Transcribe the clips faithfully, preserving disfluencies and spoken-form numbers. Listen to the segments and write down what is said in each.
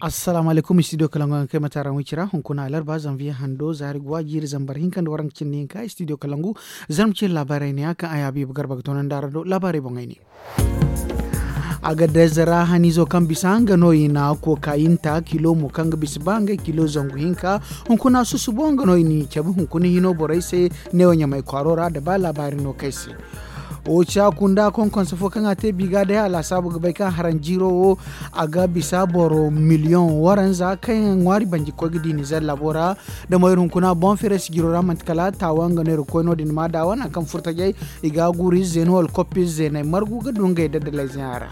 Assalaamu alaykum, studio kalangu yaŋ kay mate araŋ wicira hunkuna alarba zanviye hando zaari guwa jiiri zambar hinka nda waranka cindi hinka studio kalangu. Zarma cine laabaarey ne ya kaŋ a yaabi ba garba ga toonandi araŋ do laabaarey boŋey ne. A ga dayze ra haniizo kaŋ bisa nga no i na kookayinta kilo mo kaŋ ga bisa ba ngey kilo zangu hinka. Hunkuna susubo nga no i n'i cabe hunkuna hino borey se. Neewo ɲamay kwaaro ra da ba laabaari no kay se. Wo ca kunda konkonse fo kaŋ a te biga day a laasaabu ga bay kaŋ haranjiiro wo a ga bisa boro miliyoŋ waranza kaŋ yaŋ ŋwaari banji ga koy ga di nizer laabo ra. Da mo iri hunkuna boŋ feres jiro ra manti kala taawa nga no iri ga koy no- din ma daawa nangu kaŋ furtajey i ga a guuru ize no wala koppi ize no ay margu ga du ngey daddalayze a ra.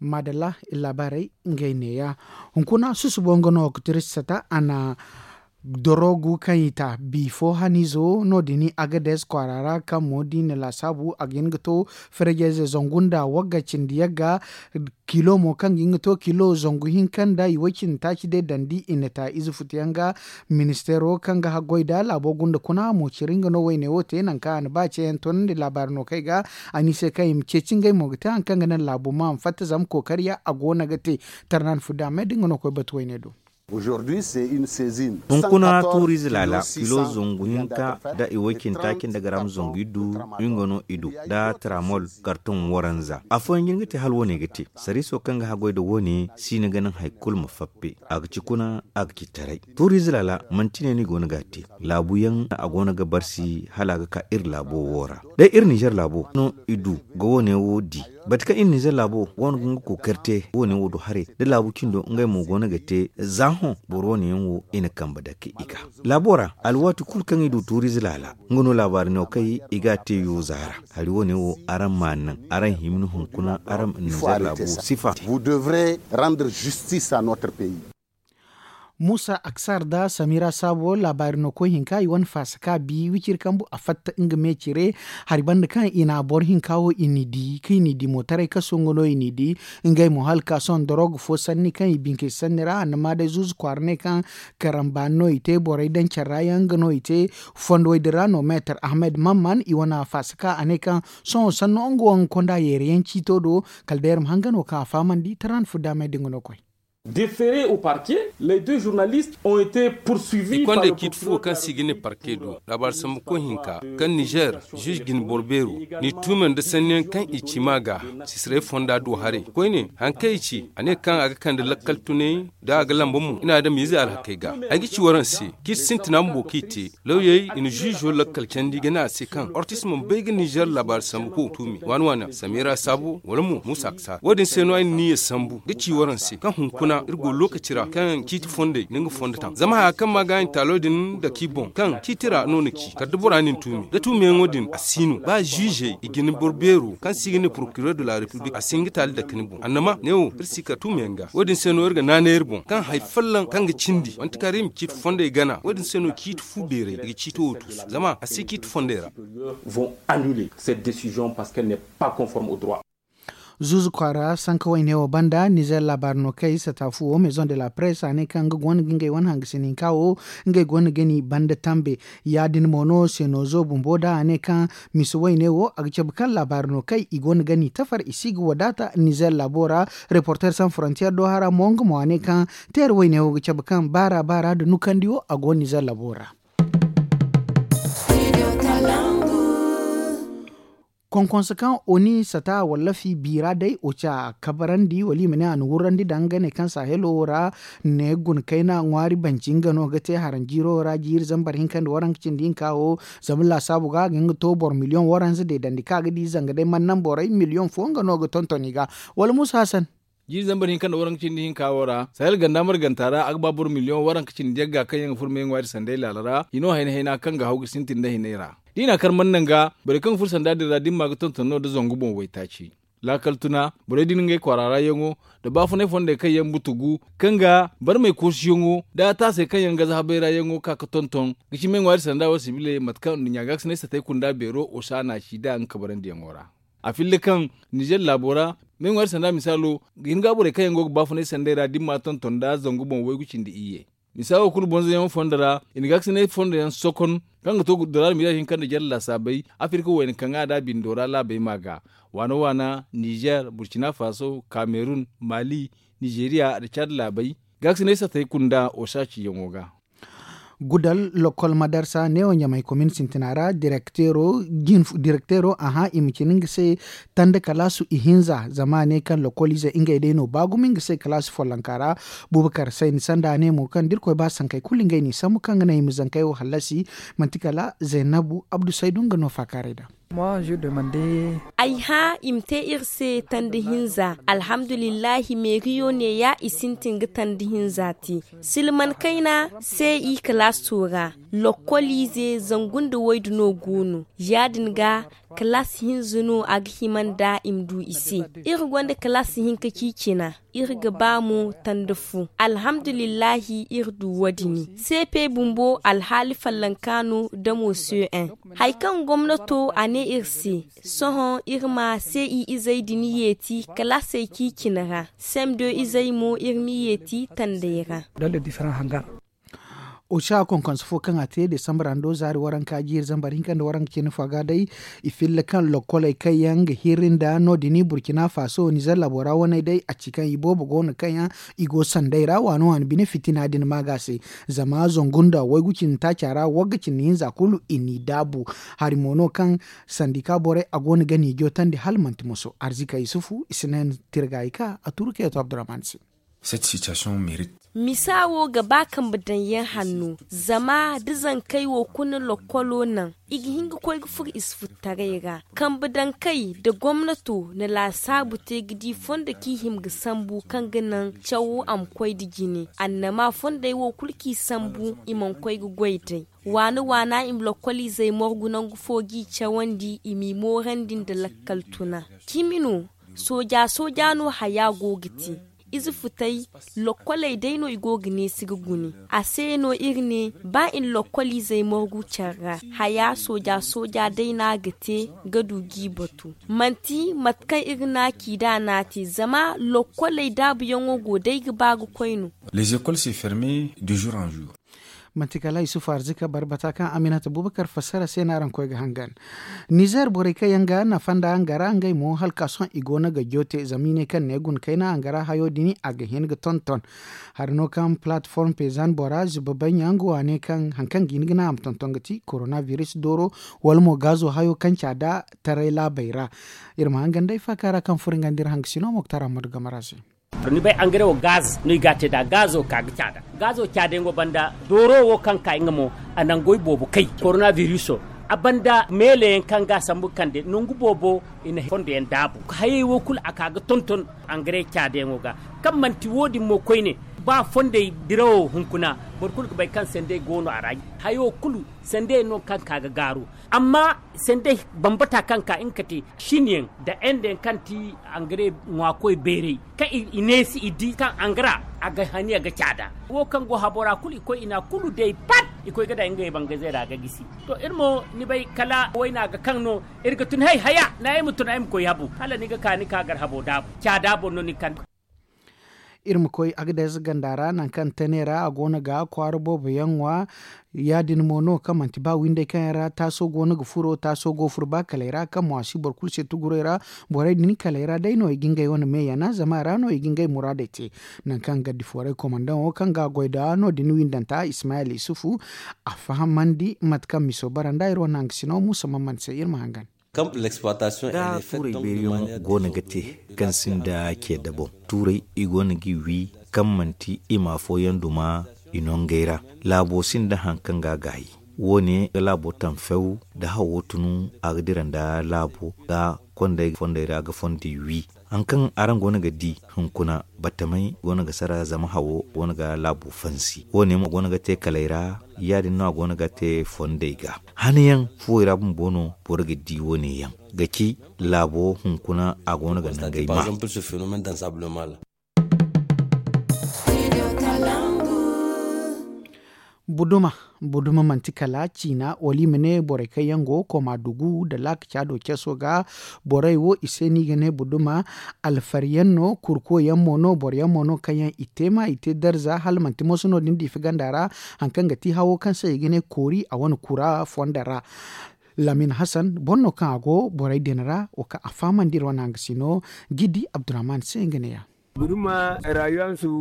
Maadalla iri laabaarey ngey neeya. Hunkuna susubo nga no ga tiri sata a na dorogu kaŋ i ta bifo haniizo no- din agades kwaara ra kaŋ mo da i na laasaabu a ga hin ga to. Ferejeyze zangu nda wagga cindi yagga kilo mo kaŋ ga hin ga to kilo zangu hinka nda i way cindi taaci day dandi i na ta ize futu yaŋ ga. Ministeero kaŋ ga haggoy da laabo gunda kuna mo ciri nga no wayne wo te nangu kaŋ a na ba ceeyaŋ toonandi laabaari no kay ga. A ne i se kaŋ i ma ceeci ngey mo ga te hari kaŋ ga naŋ laabo ma a ma fatta zama kookariya a go no ga te. Tarnan fudda me da nga no koy batu wayne do. Hunkuna tuuriize laala kilo zangu hinka nda i way cindi taaci nda garaam zangu iddu. Nga no i du nda tramol karton waranza afooyaŋ jin ga te hala wo- ne ga te. Sariiso kaŋ ga haggoy nda wo- ne si ni ga naŋ hari kulu ma fappe a ga ci kuna a ga ci taray. Tuuriize laala manti ne no i go no ga a te. Laabu yaŋ a go no ga barsi hala a ga ka iri laabo wo ra. Day iri nizer laabo no i du ga wo- ne wo di. Bate kaŋ iri nizer laabo go no ga nga kookari te wo- ne wo do haray da laabu cindo ngey mo go no ga te za hõ boro wo- ne yaŋ wo i na kambe dake i ga laabo ra. Alwaati kulu kaŋ i du tuuriize laala nga no laabaari no kay i ga a te yooza ra. Hari wo- ne wo araŋ ma a naŋ araŋ hima ni hunkuna araŋ ma nizer laabo sifa. Muusa aksar nda samira saabo laabaari no koy hinka i wane faasa ka bi wiciri kambu a fatta nga me cire. Hari banda kaŋ i na boro hinka wo i n'i di kaŋ i n'i di mootaray kaso nga no i n'i di. Ngey mo hala ka sohõ doroog fo sanni kaŋ i binkey sanni ra a na ma day zuuzu kwaara ne kaŋ karambaani no i te borey daŋ care ra yaŋ nga no i te. Fondo wo- din ra no meetar ahmed mamman i wane faasa ka a ne kaŋ sohõ sanno nga wo ga konda yeere yaŋ ciito do. Kala day iri ma hangano kaŋ a fahamandi tara ni fudda me da nga no koy. Déférés au parquet, les deux journalistes ont été poursuivis par le procureur de la République. I konda ciiti fo kaŋ se i ga ne parke do laabaari sambu koy hinka kaŋ nizer zuuzu jine boro beero n'i tuumay nda sanniyaŋ kaŋ i ci ma ga. Sisiray fonda do haray koyne hari kaŋ i ci a ne kaŋ a ga kande lakkal tunay da a ga lamba mo i na adamiizey alhakey ga. Ay ga ci waraŋ se ciiti sintina bumbo kaŋ i te lawyey i na zuuzo lakkal candi ga ne a se kaŋ ortis mana bay ga nizer laabaari sambu ko tuumi waani waani samira saabo wala mo muusa ga saara wo- din se no ay na niya sambu ga ci waraŋ se kaŋ hunkuna iri go lookaci ra kaŋ ciiti fondey na nga fondo taŋ zama haya kaŋ ma ga i na taalo din dake i boŋ kaŋ ciiti ra no ni ci kala da bora na ni tuumi da tuumiyaŋo din a si no ba zuuzey i ga ni boro beero kaŋ se i ga ne porokiror de la repiblik a si hin ga taali dake ni boŋ annama neewo iri si kala tuumiyaŋ ga wo- din se no iri ga naanay iri boŋ kaŋ hari folloŋ kaŋ ga cindi manti kaŋ ra i ma ciiti fondey gana wo- din se no ciiti fu beeray i ga ciito wo tuusu zama a si ciiti fondey ra. Vont annuler cette décision parce qu'elle n'est pas conforme au droit. Zuuzu kwaara sanka wayne wo banda nizer laabaari no kay sata fu wo maison de la presse a ne kaŋ nga go no ga ngey wane hangasin hinka wo ngey go no ga ni banda tambe. Ya- din mo no senozo bumbo da a ne kaŋ misa wayne wo a ga cabe kaŋ laabaari no kay i go no ga ni tafar i si ga wadaata nizer laabo ra. Reporter sans frontier do hara mo nga mo a ne kaŋ teera wayne wo ga cabe kaŋ baara baara nda nukandi wo a go nizer laabo ra. Konkonse kaŋ oni sata wallafi biira day oca kabarandi wala i ma ne a na wurrandi daŋ nga ne kaŋ sahelo wo ra ne guna kayna ŋwaari banci nga no ga te haranjiiro wo ra jiiri zambar hinka nda waranka cindi hinka wo. Zama laasaabu ga ga hin ga to boro miliyoŋ waranza deedandi kaŋ a ga di zanga day man naŋ borey miliyoŋ fo nga no ga tonton i ga. Wala muusa hasan. Jiiri zambar hinka nda waranka cindi hinka wo ra sahel ganda marganta ra a ga ba boro miliyoŋ waranka cindi yagga kaŋ yaŋ ga furo me ŋwaari sanday laala ra hino hayna hayna kaŋ ga haw ga sintin nda hinay ra. Da i na a kar mana naŋ ga borey kaŋ ga furo sanda din ra da ni ma ga tonton no nda zangu boŋ waytaaci. Laakal tuna borey din ngey kwaara ra yaŋo nda baafunay fondey kaŋ yaŋ butugu kaŋ ga barmey koosiyaŋo nda taasey kaŋ yaŋ ga zahabay ra yaŋo ga ka ga tonton ga ci me ŋwaari sanda wo sibiley mate kaŋ nduɲɲa gaakasinay satey kunda beero osa na a ci nd'a nga kabarandiyaŋo ra. A filla kaŋ nizer laabo ra me ŋwaari sanda misaalo ga hin ga borey kaŋ yaŋ go ga baafunay sanday ra da ni ma tonton nda zangu boŋ waygu cindi iyye. Misa wo kulu bonzoyaŋo fondo ra i na gaakasinay fondo yaŋ sokon Kaŋ ga to dora almira hinka nda jalla laasaabey, afirka wayna kaŋ a da bindo ra laabey ma ga waana waana, nizer, burkina faso, kamerun, mali, nizeriya nda cad laabey. Gaasiney satey kunda osa ciyaŋo ga. Gudal lokol madarsa neewo ɲamay komin sintina ra direkteero a hã i ma cine nga se tanda kalaasu ihinza zama a ne kaŋ lokol ize ngey day no ba gumo nga se kalaasu follonka ra. Bubakar sayni sanda a ne mo kaŋ da irkoy ba sankey kulu ngey n'i sambu kaŋ ga naŋ i ma zankey wo hallasi. Manti kala zaynabu abdu saydu nga no faakaaray da. Ay hã i ma te iri se tanda hinza. Alhamdulillahi meeriyo neeya i sintin ga tanda hinza te. Silman kayna se i kalaaso ra, lokkoliize zangu nda waydu no go no. Ya- din ga kalaas hinza no a ga hima nda i ma du i se. Iri gonda kalaas hinka ciicina. Iri ga ba mo tanda fu. Alhamdulillahi iri du wo- din. Seepe bumbo alhaali follonka no damo se en. Hari kaŋ gomnato a ne iri se, sohõ iri ma se i izey din yeeti kalaasey ciicina ra. Sem de izey mo iri m'i yeeti tandey ra. Oca konkonso fo kaŋ a te desambra ndo zaari waranka jiiri zambar hinka nda waranka cine fo a ga day. I filla kaŋ lokkoley kaŋ yaŋ ga hirri nda no- din burkina faso nizer laabo ra waney day a ci kaŋ i boobo go no kaŋ yaŋ i go sanday ra waani waani bine fitina din ma ga se. Zama zangu nda waygu cindi taaca ra wagga cindi hinza kulu i n'i daabu. Hari mo no kaŋ sandika borey a go no ga n'i jootandi hala manti moso arzika yusufu i si naŋ tirga i ka a turu kayto abdurrahman se. Misa wo ga ba kambe daŋ yaŋ hanno. Zama da zankey wo kuna lokkolo naŋ i ga hin ga koy ga furo i si furo taray ra. Kambe daŋ kay da gomnato na laasaabu te ga di fondo kaŋ i hima ga sambu kaŋ ga naŋ cawo a ma koy nda jine annama fondey wo kulu kaŋ i sambu i mana koy ga goy day. Waana waana i ma lokkoliizey morgu nangu fo g'i cawandi i m'i moorandi nda lakkal tuna. Cimi no. Sooja sooja no haya go ga te. Ize futay lokkoley day no i go ga neesi ga gune. A se no iri ne ba i na lokkoliizey morgu care ra haya sooja sooja day no a ga te ga du g'i batu. Manti mate kaŋ iri naaki nd'a no a te zama lokkoley daabuyaŋo go day ga ba ga koy no. Les écoles se ferme de jour en jour. Manti kala isufu arzika barbata kaŋ aminata bubakar fassara se no araŋ koy ga hangan. Nizer borey kaŋ yaŋ ga nafa nda hangara ngey mo hala ka sohõ i go no ga joote zama i ne kaŋ ne guna kayna hangara hayo din a ga hin ga tonton. Hari no kaŋ platform pezan bora zuba bay ɲaŋ go a ne kaŋ hari kaŋ ga hin ga naŋ a ma tonton ga ti korona virus dooro wala mo gaazo hayo kaŋ ca da taray laabey ra. Iri ma hangan day faaka ra kaŋ furo nga nda iri hangasino moktar ammadu gamara se. To ni bay angare wo gaz no i ga a te nd'a gaazo ka ga caada. Gaazo caadayaŋo banda dooro wo kaŋ ka nga mo a nangu i boobo kay korona viruso. A banda meeleyaŋ kaŋ ga a sambu kande nangu boobo i na fondo yaŋ daabu hayey wo kulu a ka ga tonton. Angare caadayaŋo ga kaŋ manti wo- din mo koyne ba fondey dirawo hunkuna boro kulu ga bay kaŋ sandey go no a ra. Hayo kulu sandey no kaŋ ka ga gaaru. Amma sandey bambata kaŋ ka nga ka te siniyaŋ nda endeyaŋ kaŋ ti angare ŋwaakoy beeray kaŋ i neesi i di kaŋ angara a ga haniya ga caada. Wo kaŋ go habo ra kulu i koy i na kulu day pat i koy ga daŋ ngey bangazey ra ga gisi. To iri mo ni bay kala wayna ga kaŋ no iri ga tun hay haya na ay ma tun ay ma koy habu hala ni ga ka ni ka gar habo daabu caada boŋ no ni kan. Iri ma koy agades ganda ra nangu kaŋ tane ra a go no ga kwaara boobo yaŋ ŋwa. Ya- din mo no kaŋ manti ba windey kaŋ yaŋ ra taaso go no ga furo taaso go furo ba kaley ra kaŋ mo a si boro kulu se tugurey ra. Borey din kaley ra day no i ga ngey wane me yana zama a ra no i ga ngey muraadey te. Nangu kaŋ gaddi foorey komandaŋo kaŋ ga a goy nd'a no- din windanta ismayel isufu a fahamandi mate kaŋ miso bara nd'a iri wane hangasino muusa man man se iri ma hangan. Da tuurey beeriyaŋo go no ga te kaŋ sinda ce daboŋ tuurey i go no g'i wi kaŋ manti i ma afooyaŋ duma i nongey ra. Laabo sinda hari kaŋ ga a gaayi wo- ne ga laabo taŋ few da hawo tunu a ga dira nda laabo ga kondey fondey ra ga fondey wi. Hari kaŋ araŋ go no ga di hunkuna batamey go no ga sara zama hawo go no ga laabo fansi wo- ne mo go no ga te kaley ra. Ya- din no a go no ga te fondey ga hanayaŋ fuwey ra bumbo no boro ga di wo- ne yaŋ ga ci laabo hunkuna a go no ga nangey ma. Buduma Buduma manti kala ciina wala i ma ne borey kaŋ yaŋ go koma dugu nda laaka caado ceeso ga. Borey wo i se no i ga ne buduma. Alfari yaŋ no kurko yaŋ mo no boro yaŋ mo no kaŋ yaŋ i te ma i te darza hala manti moso no- din diifi ganda ra. Hari kaŋ ga ti hawo kaŋ se i ga ne koori a wane kura fondo ra. Lamin hasan boro no kaŋ a go borey din ra wo kaŋ a fahamandi iri wane hangasino. Gidi abdurrahman se nga ne ya.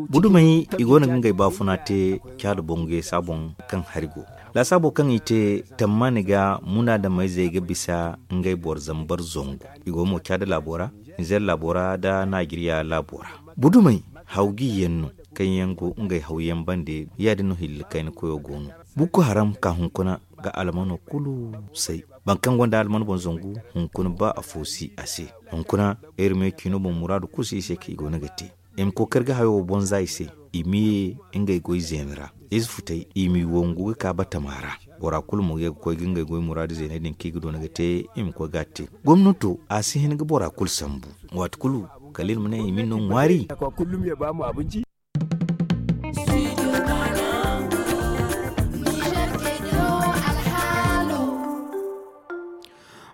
Budumey i go no ga ngey baafuna te caada boŋ ga yasa boŋ kaŋ hari go. Laasaabo kaŋ i te tammaani ga munaadameyzey ga bisa ngey boro zambar zangu. I go mo caada laabo ra, nizeer laabo ra nda naajeriya laabo ra. Budumey hawgi yaŋ no kaŋ yaŋ go ngey hawyaŋ bande. Ya- din no hilli kayna koyo go no. Bukko haram ka hunkuna ga almano kulu say. Boro kaŋ gonda alman boŋ zangu hunkuna ba afo si a se. Hunkuna iri me ciino boŋ muraadu kulu si i se kaŋ i go no ga te. I ma kookari ga hayo wo boŋ za i se. I ma ye ngey goy zeena ra. Ize futey i m'i wangu ga ka batama ra. Bora kulu mo ga ye ga koy ga ngey goy muraadu zeeney din kaŋ i ga doona ga te. I ma koy ga a te. Gomnato a si hin ga bora kulu sambu. Waati kulu kala iri ma ne i ma ni no ŋwaari.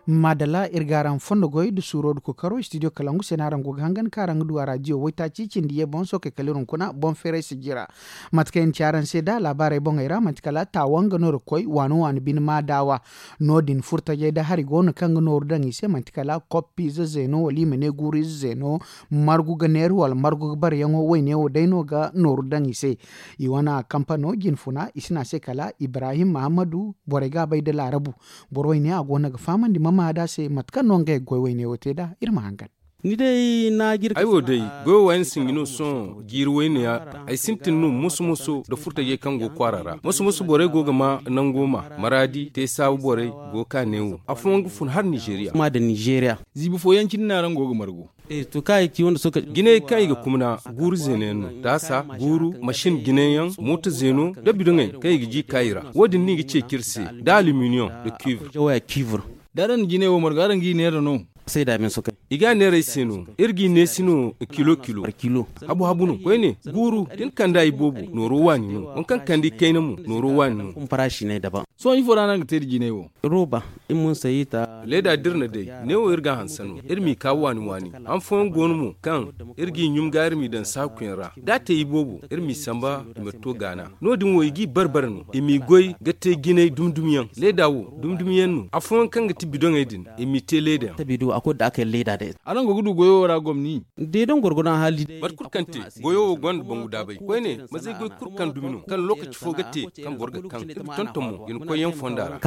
Maadalla iri ga araŋ fondo goy nda suuro nda kookaro istidiyo kalangu se no araŋ go ga hangan kaŋ araŋ ga du a raadiyo waytaaci cindi ye boŋ sookey kala iri hunkuna boŋ feeray sijira. Mate kaŋ iri na ci araŋ se nd'a laabaarey boŋey ra manti kala taawa nga no iri ga koy waano waano bine maadaawa. No- din furtajey nda hari go no kaŋ ga nooru daŋ i se manti kala koppiize zeeno wala i ma ne guuru ize zeeno. Margu ga neera wala margu ga baryaŋo wayne wo day no ga nooru daŋ i se. I wane kampano jinfuna i si ne a se kala ibrahim mahammadu. Borey ga a bay nda laarabu. Boro wayne a go no ga fahamandi ma maa nd'a se mate kaŋ no ngey ga goy wayne wo te nd'a iri ma hangan. Ay wo day goyo waani sinji no sohõ jiiri wayne ya. Ay sintin no moso moso nda furtajey kaŋ go kwaara ra moso moso borey go ga ma nango ma maraadi te saabu borey go ga ka neewo afooyaŋ ga fun hala nizeeriya. Ziibi fooyaŋ cindi no araŋ go ga margu. Jinayey kaŋ i ga kumna guuru zeena yaŋ no taasa guuru masin jinay yaŋ mooto zeeno nda bidoŋey kaŋ i ga ji ka i ra. Wo- din no i ga ceeci iri se nda aluminiyoŋ nda kuwir. Da araŋ na jinay wo margu araŋ g'i neera no? I ga a neera ay se no. Iri g'i neesi no kilo kilo. Habu habu no koyne guuru da ni kand'a iboobo nooro waani no. Waŋ kaŋ kand'i kayna mo nooro waani no. Sohõ ifo ra no araŋ ga te nda jinay wo? Leeda da iri na day neewo iri g'a hanse no. Iri m'i ka waani waani. Han fooyaŋ go no mo kaŋ iri g'i ɲum ga iri m'i daŋ saakuyaŋ ra da a te iboobo iri m'i samba i ma to gaana. No- din wo i g'i bare bare no i m'i goy ga te jinay dumi dumi yaŋ leeda wo dumi dumi yaŋ no afooyaŋ kaŋ ga ti bidoŋey din. I m'i te leeda yaŋ. Araŋ go ga du goyo wo ra gomni? Mate kulu kaŋ te goyo wo gonda bangu daabay koyne mazey goy kulu kaŋ dumi no kaŋ lookaci fo ga te kaŋ boro ga kaŋ ga tonton mo ga ni koyyaŋ fonda ra.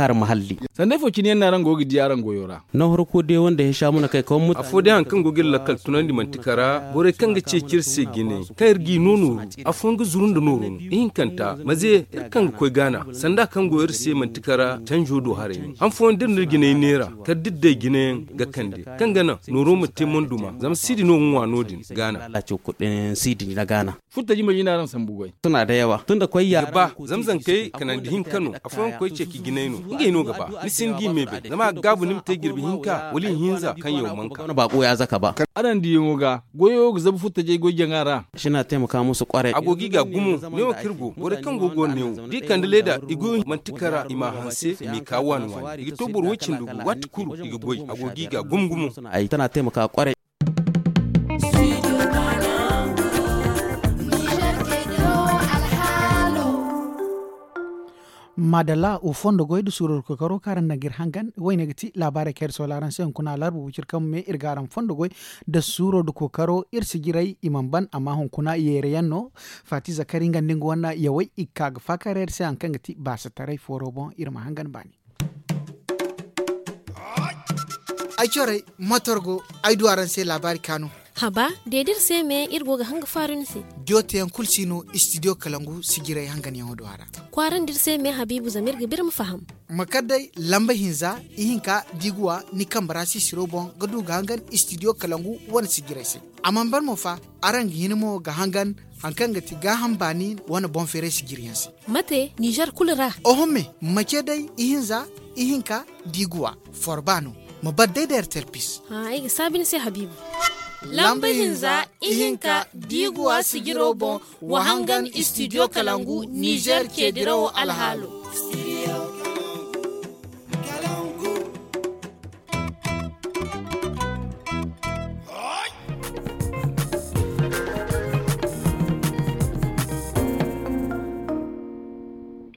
Sanda ifo cine yaŋ no araŋ go ga di araŋ goyo ra? Afo day hari kaŋ go ga iri lakkal tunandi manti kara borey kaŋ ga ceeci iri se jine kaŋ iri g'i no nooru. Afooyaŋ ga zuru nda nooro no ihinkanta maze iri kaŋ ga koy gaana sanda kaŋ go iri se manti kara canjo do haray no han fooyaŋ da iri na iri jinay neera kala da iri day jinayaŋ ga kande kaŋ ga naŋ nooro ma te monduma zama siidi no ga ŋwa no- din gaana. Furtaji ma jina araŋ sambu goy. Suna da yawa tun da koy ya ga ba. Zama zankey kanandi hinka no afooyaŋ ga koy ceeci jinay no ngey no ga ba ni si hin g'i me bay zama a ga gaabu ni ma te jirbi hinka wala ihinza kaŋ yaw manka. Araŋ diyaŋo ga goyo ga zabu furtajey goy jaŋa ra. A go g'i ga gumo neewo kaŋ iri go borey kaŋ go ga neewo da i kande leeda i goyo manti kara i m'a hanse i m'i ka waani waani i ga to boro woy cindi gu waati kulu i ga goy a go g'i ga gumo gumo. Maadalla wo fondo goy nda suuro nda kookaro kaŋ araŋ daŋ ga iri hangan wayne ga ti laabaarey kaŋ iri soola araŋ se hunkuna alarba wiciri kaŋ ma me iri ga araŋ fondo goy nda suuro nda kookaro iri si jiray i mana ban amma hunkuna yeere yaŋ no. Faati zakari nga nda nga wane yawey i ga ka ga faakar iri se hari kaŋ ga ti baasataray fooro boŋ iri ma hangan baani. Ay corey motor go ay du araŋ se laabaari kaanu. Haba de da iri se me iri go ga hanga faaru ni se. Diyo teyaŋ kulu si no istidiyo kalangu sijiray hanganyaŋo do a ra. Kwaarandi iri se me habiibu zama iri ga ba iri ma faham. Ma kar day lamba hinza ihinka da i ga wa ni kambe ra sisiro boŋ ga du ga hangan istidiyo kalangu wane sijiray se. A mana ban mo fa araŋ ga hin mo ga hangan hari kaŋ ga ti gaaham baani wane boŋ feeray sijiriyaŋ se. Mate nizer kulu ra? Oho me ma ce day ihinza ihinka da i ga wa forba no. Ma bar day da ertel pis. Ay ga saabi ni se habiibu. Lamba hinza ihinka da i ga wa sijiro boŋ wa hangan istidiyo kalangu nizer ceedirawo alhaalo.